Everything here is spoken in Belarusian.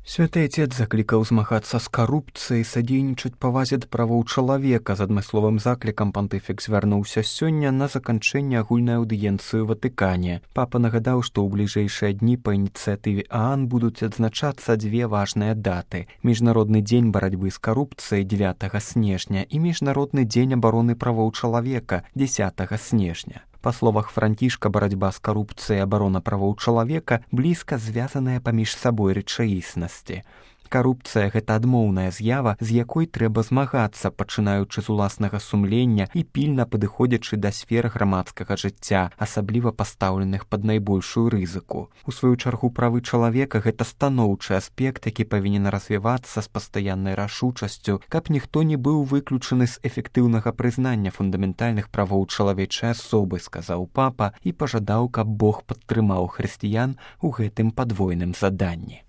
Святы Отец заклікаў змагацца з карупцыяй, садзейнічаць павазе да правоў чалавека. З адмысловым заклікам пантыфік звярнуўся сёння на заканчэнне агульнай аўдыенцыі ў Ватыкане. Папа нагадаў, што ў бліжэйшыя дні па ініцыятыве ААН будуць адзначацца дзве важныя даты: Міжнародны дзень барацьбы з карупцыяй 9 снежня і Міжнародны дзень абароны правоў чалавека 10 снежня. Па словах Францішка, барацьба з карупцыяй і абарона правоў чалавека блізка звязаныя паміж сабой рэчаіснасці. Карупцыя – гэта адмоўная з'ява, з якой трэба змагацца, пачынаючы з уласнага сумлення і пільна падыходзячы да сфер грамадскага жыцця, асабліва пастаўленых пад найбольшую рызыку. У сваю чаргу, правы чалавека – гэта станоўчы аспект, які павінен развівацца з пастаяннай рашучасцю, каб ніхто не быў выключаны з эфектыўнага прызнання фундаментальных правоў чалавечай асобы, сказаў папа і пажадаў, каб Бог падтрымаў хрысціян у гэтым падвойным заданні.